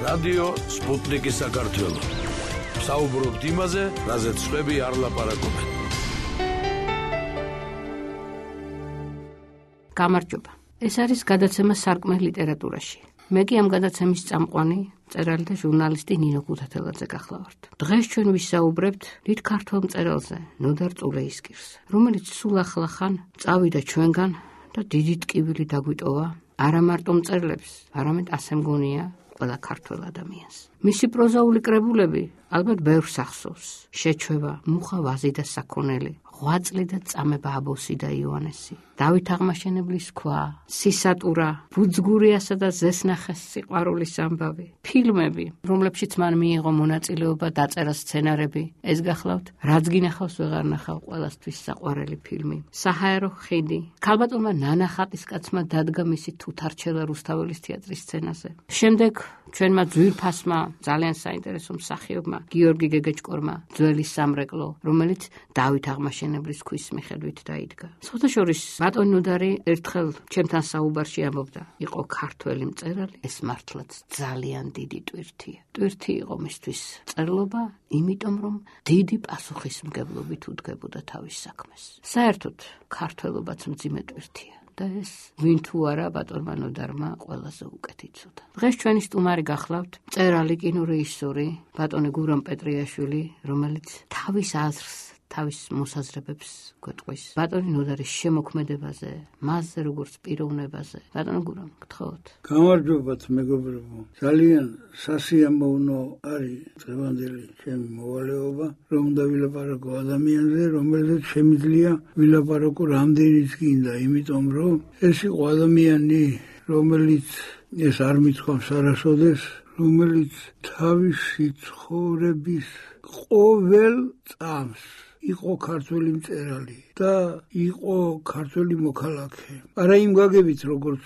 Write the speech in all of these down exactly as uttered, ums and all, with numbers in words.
რადიო სპუტნიკი საქართველო. საუბრობთ იმაზე, რაზეც სხვები არ ლაპარაკობენ. გამარჯობა. ეს არის გადაცემა სარკმე ლიტერატურაში. მე კი ამ გადაცემის წამყვანი, მწერალი და ჟურნალისტი ნინო ქუთათელაძე გახლავართ. დღეს ჩვენ ვისაუბრებთ დიდ ქართველ მწერალზე, ნოდარ წულეისკირს, რომელიც სულ ახლახან წავიდა ჩვენგან და დიდი ტკივილი დაგვიტოვა არა მარტო მწერლებს, არამედ ასე მგონია ყველა ქართველ ადამიანს. მისი პროზაული კრებულები ალბათ ბევრს ახსოვს. შეჩვევა, მუხა ვაზი და საქონელი, ღვაწლი და წამება აბოსი და იოანესი, დავით აღმაშენებლის ქვა, სისატურა, ბუძგურიასა და ზესნახეს სიყვარულის ამბავი, ფილმები, რომლებშიც მან მიიღო მონაწილეობა, დაწერა სცენარები. ეს გახლავთ, რაც გინახავს ვეღარ ნახავ, ყველასთვის საყვარელი ფილმი, საჰაერო ხიდი. ქალბატონმა ნანა ხატისკაცმა დადგა მისი თუთარჩელა რუსთაველის თეატრის სცენაზე. შემდეგ ჩვენმა ძვირფასმა, ძალიან საინტერესო მსახიობმა, გიორგი გეგეჭკორმა, ძველი სამრეკლო, რომელიც დავით აღმაშენებლის ქვის მიხედვით დაიდგა. სხვათაშორის ბატონი ნოდარი ერთხელ ჩემთან საუბარში ამბობდა, იყო ქართველი მწერალი, ეს მართლაც ძალიან დიდი ტვირთია. ტვირთი იყო მისთვის მწერლობა, იმიტომ რომ დიდი პასუხისმგებლობით უდგებოდა თავის საქმეს. საერთოდ ქართველობაც მძიმე ტვირთია. და ეს ვინ თუ არა ბატონმა ნოდარმა ყველაზე უკეთ იცოდა. დღეს ჩვენი სტუმარი გახლავთ მწერალი, კინორეჟისორი ბატონი გურამ პეტრიაშვილი, რომელიც თავის აზრს, თავის მოსაზრებებს გვეტყვის ბატონი ნოდარის შემოქმედებაზე, მასზე როგორც პიროვნებაზე. ბატონო გურამ, გთხოვთ. გამარჯობათ მეგობრებო. ძალიან სასიამოვნო არის დღევანდელი ჩემი მოვალეობა, რომ დავილაპარაკო ადამიანზე, რომელზეც შემიძლია ვილაპარაკო რამდენიც გინდა, იმიტომ რომ ეს იყო ადამიანი, რომელიც ეს არ მithქვამს არასოდეს, რომელიც თავისი ცხოვრების ყოველ წამს იყო ქართველი მწერალი და იყო ქართველი მოქალაქე. არა იმ გაგებით, როგორც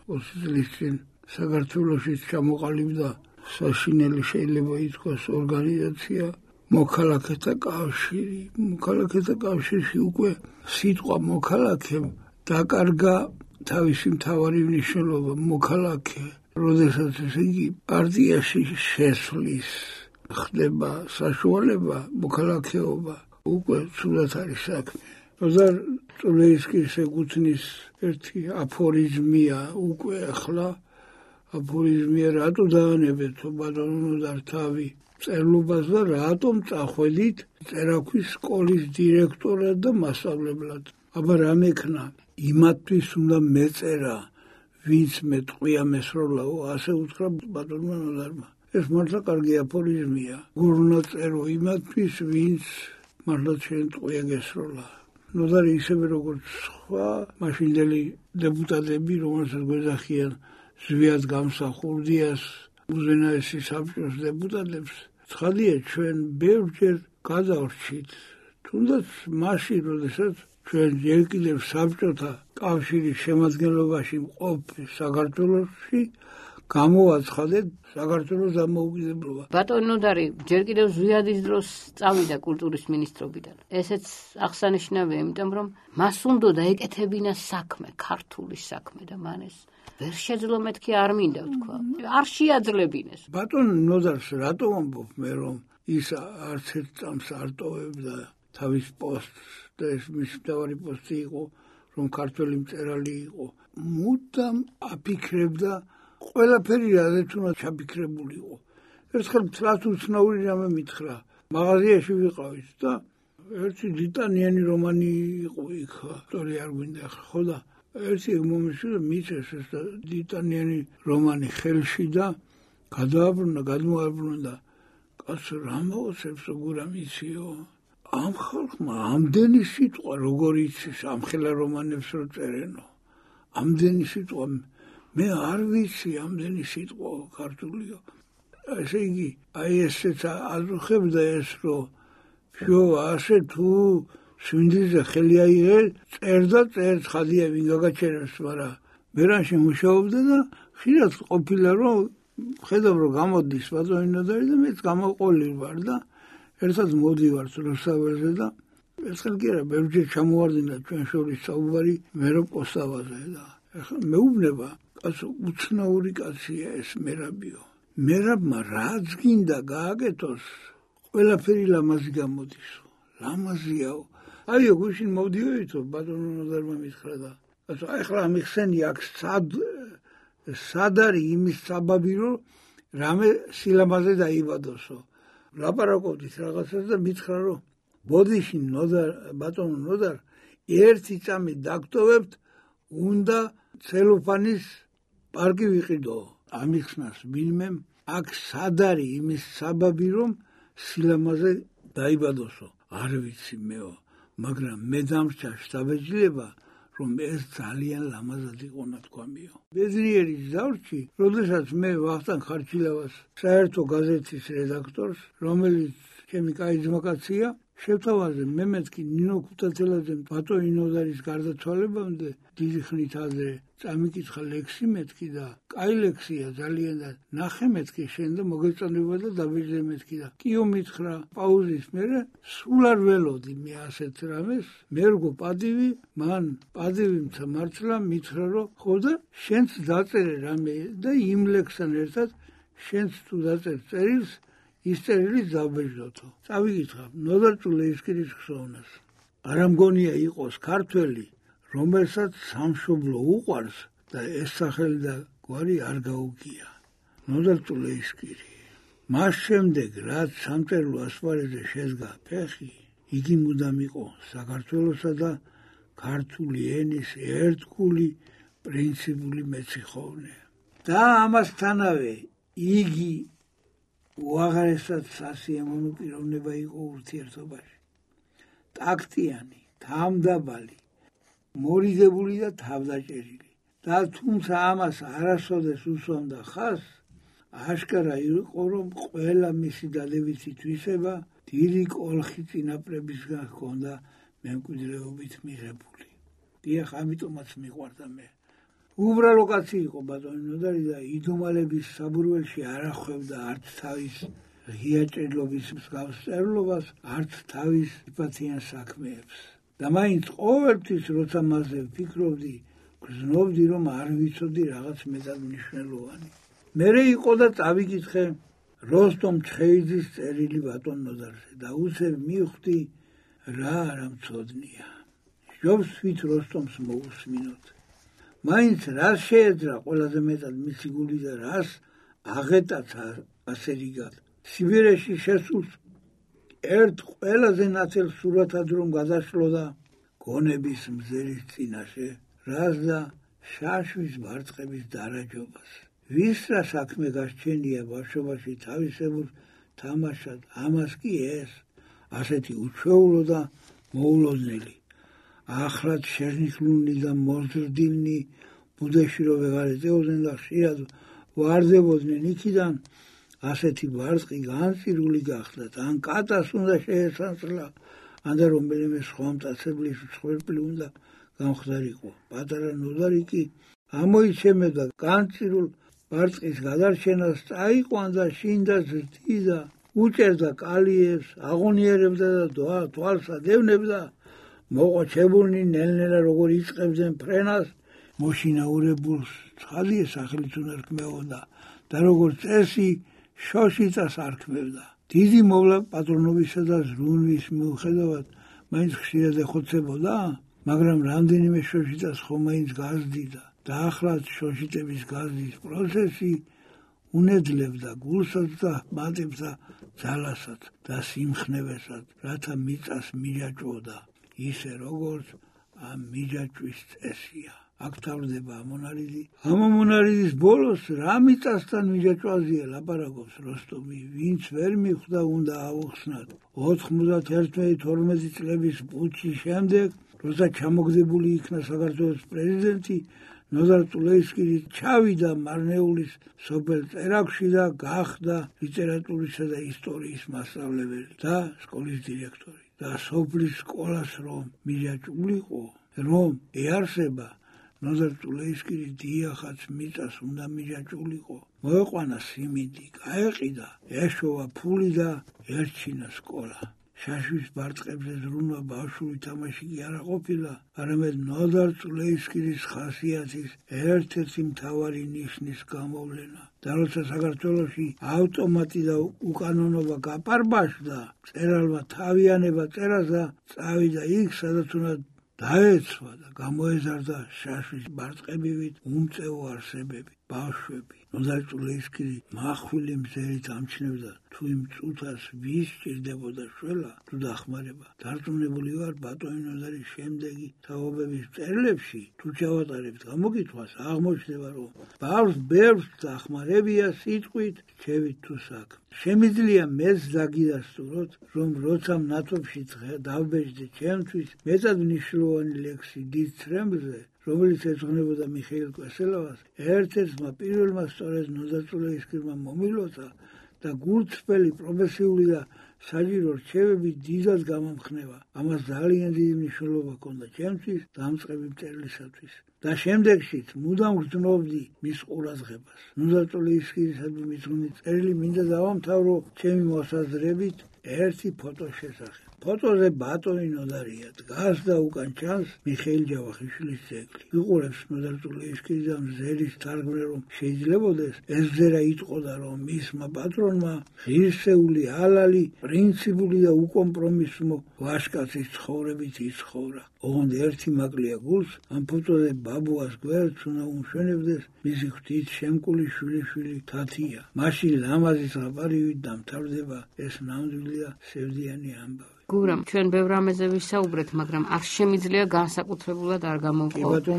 ოცი წლის წინ საქართველოში ჩამოყალიბდა საშინელი, შეიძლება ითქვას, ორგანიზაცია მოქალაქეთა კავშირი. მოქალაქეთა კავშირში უკვე სიტყვა მოქალაქემ დაკარგა თავისი მთავარი მნიშვნელობა. მოქალაქე, როდესაც ესე იგი პარტიაში შესვლის ხდება საშუალება, მოქალაქეობა უკვე ცუდად არის საქმე. ნოდარ წულეისკირს ეკუთვნის ერთი აფორიზმია უკვე ახლა. აფორიზმია, რატო დაანებეთ ბატონო ნოდარ თავი მწერლობას და რატომ წახვედით წერაქვის სკოლის დირექტორად და მასწავლებლად. აბა რა მექნა? იმათთვის უნდა მეწერა, ვინც მე ტყვია მესროლაო, ასე უთხრა ბატონმა ნოდარმა. ეს მართლა კარგი აფორიზმია. გურნა წერო იმათთვის, ვინც მართლა შენ ტყვია გესროლა. ნოდარი ისევე როგორც სხვა მაშინდელი დეპუტატები, რომელსაც გვეძახიან ზვიად გამსახურდიას, უზენაესი საბჭოს დეპუტატებს, ცხადია ჩვენ ბევრჯერ გადავრჩით. თუნდაც მაშინ, როდესაც ჩვენ ჯერ კიდევ საბჭოთა კავშირის შემადგენლობაში მყოფ საქართველოში გამოვაცხადეთ საქართველოს დამოუკიდებლობა. ბატონი ნოდარი ჯერ კიდევ ზვიადის დროს წავიდა კულტურის მინისტრობიდან. ესეც აღსანიშნავია, იმიტომ რომ მას უნდოდა ეკეთებინა საქმე, ქართული საქმე და მან ეს ვერ შეძლო, მეთქი არ მინდა ვთქვა. არ შეაძლებინეს. ბატონი ნოდარს რატო ამბობ მე, რომ ის არც ერთ წამს არ ტოვებდა თავის პოსტს და ეს მის მთავარი პოსტი იყო, რომ ქართველი მწერალი იყო. მუდამ აფიქრებდა ყველაფერი, რაზეც უნდა ჩაფიქრებულიყო. ერთხელ მთლად უცნაური რამე მითხრა. მაღაზიაში ვიყავით და ერთი დიტანიანი რომანი იყო იქ, ავტორი არ გვინდა ახლა, ხო და ერთი ეგ მომისვა და მიწეს ეს დიტანიანი რომანი ხელში და გადააბრუნა, გადმოაბრუნა და კაცო რა მოგწევს გურამ იციო? ამ ხალხმა ამდენი სიტყვა როგორ იცის ამ ხელა რომანებს რო წერენო? ამდენი სიტყვა მე არ ვიცი, ამდენი სიტყვა ქართულიო. ესე იგი, აი ესეც აზრხებდა ეს, რომ ფიო ასე თუ სვინდიზე ხელი აიღე, წერ და წერ, ცხადია ვინ გაგაჩერებს, მაგრამ ბერანში მუშაობდა და ხშირად ყოფილა, რომ ხედავ, რომ გამოდის ბატონი ნოდარი და მეც გამოყოლი ვარ და ერთად მოდივართ რუსთაველზე და ერთხელ კი არა, ბევრჯერ ჩამოვარდინა ჩვენ შორის საუბარი მერო პოსტავაზე და ეხლა მეუბნება კაცო უცნაური კაცია ეს მერაბიო. მერაბმა რაც გინდა გააკეთოს, ყველაფერი ლამაზი გამოდისო. ლამაზიაო. აიო გუშინ მოვდიოითო ბატონო ნოდარმა მითხრა და კაცო ახლა ამიხსენი აქ სად სად არის იმის საბაბი რომ რამე სილამაზე დაიბადოსო. ლაპარაკობდით რაღაცას და მითხრა რომ ბოდიში ნოდარ ბატონო ნოდარ ერთი წამი დაგტოვებთ უნდა ცელოფანის პარკი ვიყიდო. ამიხსნას ვინმემ აქ სად არის იმის საბაბი რომ სილამაზე დაიბადოსო. არ ვიცი მეო, მაგრამ მე დამრჩა შთაბეჭდილება რომ ეს ძალიან ლამაზად იყო ნათქვამიო. ბედნიერის ზავრში, როდესაც მე ვახტანგ ხარჩილავას საერთო გაზეთის რედაქტორს, რომელიც ჩემი კაი ძმაკაცია, შევთავაზე მე მეთქი ნინო ქუთათელაძემ ბატონი ნოდარის გარდაცვალებამდე დიდი ხნით ადრე წამიკითხა ლექსი მეთქი და კაი ლექსია ძალიან და ნახე მეთქი შენ და მოგეწონება და დაბეჭდე მეთქი და კიო მითხრა პაუზის მერე სულ არ ველოდი მე ასეთ რამეს მე როგორ პადივი მან პადივი მართლა მითხრა რომ ხო და შენც დაწერე რამე და იმ ლექსთან ერთად შენც თუ დაწერ წერილს ის წერილი დაბეჭდოთო. წავიკითხა ნოდარ წულეისკირის ხსოვნას. არა მგონია იყოს ქართველი, რომელსაც სამშობლო უყვარს და ეს სახელი და გვარი არ გაუგია. ნოდარ წულეისკირი. მას შემდეგ რაც სამწერლო ასპარეზზე შედგა ფეხი, იგი მუდამ იყო საქართველოსა და ქართული ენის ერთგული პრინციპული მეციხოვნე. და ამასთანავე იგი უაღრესად სასიამოვნო პიროვნება იყო ურთიერთობაში. ტაქტიანი, თავმდაბალი, მორიდებული და თავდაჭერილი. და თუმცა ამას არასოდეს უსვამდა ხაზს, აშკარა იყო რომ ყველა მისი დადებითი თვისება დიდი კოლხი წინაპრებისგან ჰქონდა მემკვიდრეობით მიღებული. დიახ, ამიტომაც მიყვარდა მე. უბრალო კაცი იყო ბატონი ნოდარი და იდუმალების საბურველში არ ახვევდა არც თავის ღიაჭრილობის მსგავს წერილობას, არც თავის იპათიან საქმეებს. და მაინც ყოველთვის როცა მასზე ვფიქრობდი, გრძნობდი რომ არ ვიცოდი რაღაც მეტად მნიშვნელოვანი. მერე იყო და წავიკითხე როსტომ ჩხეიძის წერილი ბატონ ნოდარზე და უცებ მივხვდი რა არა მცოდნია. ჯობს ვით როსტომს მოусმინოთ. მაინც რას შეეძრა ყველაზე მეტად მისი გული და რას აღეტაც ასე რიგად. სიბირეში შესულს ერთ ყველაზე ნათელ სურათად რომ გადაშლოდა გონების მზერის წინაშე, რას და შაშვის მარწყების დარაჯობას. ვის რა საქმე გასჩენია ბავშვობაში თავისებურ თამაშად, ამას კი ეს ასეთი უჩვეულო და მოულოდნელი. ახლად შერნიხლული და მოზრდილნი ბუდეში რო ვეღარ ეწეოდნენ და ხშირად ვარდებოდნენ იქიდან, ასეთი ბარტყი განწირული გახდათ, ან კატას უნდა შეესანსლა, ან და რომელიმე სხვა მტაცებლის მსხვერპლი უნდა გამხდარიყო. პატარა ნოდარი კი ამოიცემდა განწირულ ბარტყის გადარჩენას, წაიყვან და შინდა ზრდიდა, უჭერდა კალიებს, აღონიერებდა და თვალს ადევნებდა. მოყოჩებულნი ნელ-ნელა როგორ იწყებდნენ ფრენას, მოშინაურებულს ცხადია სახელიც უნდა რქმეოდა და როგორც წესი შოშიწას არქმევდა. დიდი მოვლა პატრონობისა და ზრუნვის მიუხედავად მაინც ხშირად ეხოცებოდა, მაგრამ რამდენიმე შოშიწას ხომ მაინც გაზდიდა და ახლაც შოშიწების გაზდის პროცესი უნედლებდა გულსაც და მატებსა ძალასაც და სიმხნევესაც, რათა მიწას მიჯაჭვოდა. ისე როგორც ამ მიჯაჭვის წესია. აქ თავდება ამონარიდი. ამ ამონარიდის ბოლოს რა მიწასთან მიჯაჭვაზია ლაპარაკობს როსტომი, ვინც ვერ მიხვდა უნდა აუხსნათ. ოთხმოცდაერთი თორმეტი წლების პუტჩის შემდეგ, როცა ჩამოგდებული იქნა საქართველოს პრეზიდენტი, ნოდარ წულეისკირი ჩავიდა მარნეულის სოფელ წერაქვში და გახდა ლიტერატურისა და ისტორიის მასწავლებელი და სკოლის დირექტორი. და სოფლის სკოლას რომ მიჯაჭვულიყო, რომ ეარსება, ნოდარ წულეისკირი დიახაც მიწას უნდა მიჯაჭვულიყო. მოეყვანა სიმინდი, გაეყიდა, ეშოვა ფული და ერჩინა სკოლა. შაშვის ბარტყებზე ზრუნვა ბავშვური თამაში კი არა ყოფილა, არამედ ნოდარ წულეისკირის ხასიათის ერთ-ერთი მთავარი ნიშნის გამოვლენა. და როცა საქართველოში ავტომატი და უკანონობა გაპარბაშდა, მწერალმა თავიანება წერასა წავიდა იქ, სადაც უნდა დაეცვა და გამოეზარდა შაშვის ბარტყებივით უმწეო არსებები, ბავშვები. ნოდარ წულეისკირი მახვილი მზერით ამჩნევდა, თუ იმ წუთას ვის სჭირდებოდა შველა, თუ დახმარება. დარწმუნებული ვარ, ბატონი ნოდარის შემდეგი თაობების მწერლებში, თუ ჩავატარებთ გამოკითხვას, აღმოჩნდება, რომ ბავშვს ბევრს დახმარებია სიტყვით, რჩევით თუ საქმით. შემიძლია მეც დაგიდასტუროთ, რომ როცა მნათობში დავბეჭდი ჩემთვის მეტად მნიშვნელოვანი ლექსი დიდ ცრემლზე, რომელიც ეძღვნებოდა მიხეილ კვესელოვას, ერთ-ერთმა პირველმა სწორედ ნოდარ წულეისკირმა მომილოცა და გულწრფელი პროფესიული და საჭირო რჩევები დიდად გამამხნევა. ამას ძალიან დიდი მნიშვნელობა ჰქონდა ჩემთვის დამწყები მწერლისათვის. და შემდეგშიც მუდამ გრძნობდი მის ყურადღებას. ნოდარ წულეისკირისადმი მიძღვნილი წერილი მინდა დავამთავრო ჩემი მოსაზრებით ერთი ფოტოს შესახებ. ფოტოზე ბატონი ნოდარია, დგას და უკან ჩანს მიხეილ ჯავახიშვილის ძეგლი. ვიყურებს ნოდარ წულეისკირი და მზერის თარგმნე, რომ შეიძლებოდეს ეს მზერა იტყოდა, რომ მისმა პატრონმა ღირსეული, ალალი, პრინციპული და უკომპრომისო ვაჟკაცის ცხოვრებით იცხოვრა. ოღონდ ერთი მაკლია გულს, ამ ფოტოზე ბაბუას გვერდს უნდა უმშვენებდეს მისი ღვთით შემკული შვილიშვილი თათია. მაშინ ლამაზის აპარივით დამთავრდება ეს ნამდვილი და სევდიანი ამბავი. გურამ, ჩვენ ბევრ რამეზე ვისაუბრეთ, მაგრამ არ შემიძლია განსაკუთრებულად არ გამოვყო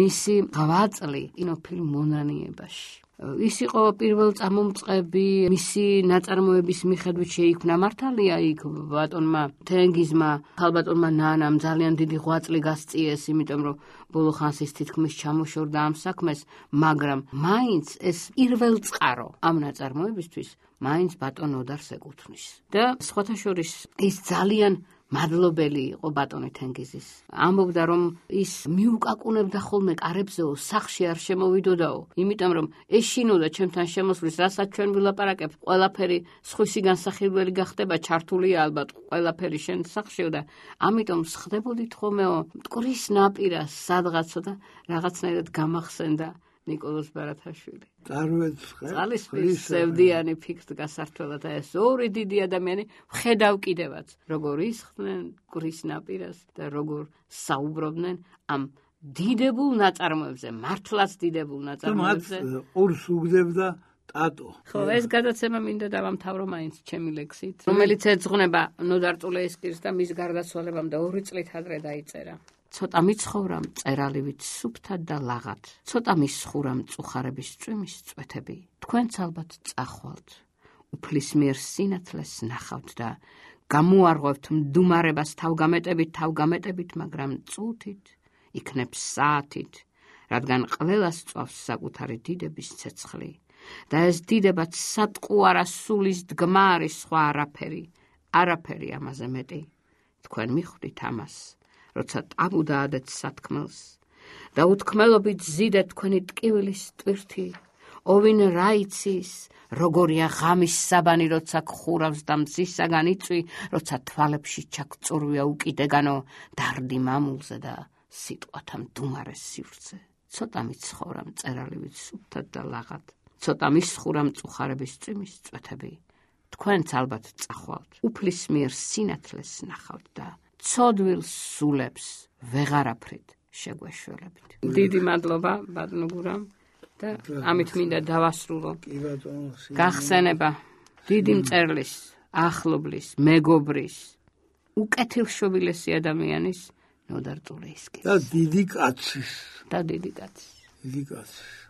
მისი ღვაწლი კინოფილმ მონანიებაში. ის იყო პირველ წამომწყები, მისი ნაწარმოების მიხედვით შეიქმნა მართალია იქ ბატონმა თენგიზმა, ხალბატონმა ნანამ ძალიან დიდი ღვაწლი გასწიეს, იმიტომ რომ ბოლო ხანს ის თითქმის ჩამოშორდა ამ საქმეს, მაგრამ მაინც ეს პირველ წყარო ამ ნაწარმოებისთვის მაინც ბატონ ნოდარს ეკუთვნის. და სხვათა შორის ის ძალიან მადლობელი იყო ბატონი თენგიზის. ამბობდა, რომ ის მიუკაკუნებდა ხოლმე კარებზეო, სახში არ შემოვიდოდაო, იმიტომ რომ ეშინოდა ჩემთან შემოსვლის, რასაც ჩვენ ვილაპარაკებთ, ყველაფერი სხვისი განსახილველი გახდება, ჩართულია ალბათ ყველაფერი შენ სახშიო და ამიტომ სხდებოდით ხოლმეო მტკვრის ნაპირას სადღაცო და რაღაცნაირად გამახსენდა ნიკოლოზ ბარათაშვილი. წყალისწყლის სევდიანი ფიქრთ გასართვლა და ეს ორი დიდი ადამიანი ვხედავ კიდევაც, როგორ ისხდნენ მტკვრის ნაპირას და როგორ საუბრობდნენ ამ დიდებულ ნაწარმოებზე, მართლაც დიდებულ ნაწარმოებზე. ყურს უგდებდა ტატო. ხო, ეს გადაცემა მინდა დავამთავრო მაინც ჩემი ლექსით, რომელიც ეძღვნება ნოდარ წულეისკირს და მის გარდაცვალებამდე ორი წლით ადრე დაიწერა. ცოტა მიცხოვრა მწერალივით სუფთად და ლაღად, ცოტა მისხურა მწუხარების წვიმის წვეთები. თქვენც ალბათ წახვალთ, უფლის მიერ სინათლეს ნახავთ და გამოარღვევთ მდუმარებას თავგამეტებით, თავგამეტებით, მაგრამ წუთით, იქნებს საათით, რადგან ყველას წვავს საკუთარი დიდების ცეცხლი. და ეს დიდებაც სატყუ არა სულის დგმა არის, სხვა არაფერი, არაფერი ამაზე მეტი. თქვენ მიხვდით ამას, როცა ტაბუ დაადეთ სათქმელს და უთქმელობით ზიდეთ თქვენი ტკივილის ტვირთი, ოვინ რა იცის, როგორია ღამის საბანი, როცა გხურავს და მზისაგან იწვი, როცა თვალებში ჩაქწურვია უკიდეგანო დარდი მამულზე და სიტყვათა მდუმარეს სივრცე. ცოტა მიცხოვრა მწერალივით სუფთად და ლაღად, ცოტა მისხურა მწუხარების წვიმის წვეთები. თქვენც ალბათ წახვალთ, უფლის მიერ სინათლეს ნახავთ და ცოდვილ სულებს ვეღარაფრით შეგვეშველებით. დიდი მადლობა ბატონო გურამ და ამით მინდა დავასრულო. გახსენება დიდი მწერლის, ახლობლის, მეგობრის, უკეთილშობილესი ადამიანის ნოდარ წულეისკირის და დიდი კაცის და დიდი კაცის. დიდი კაცის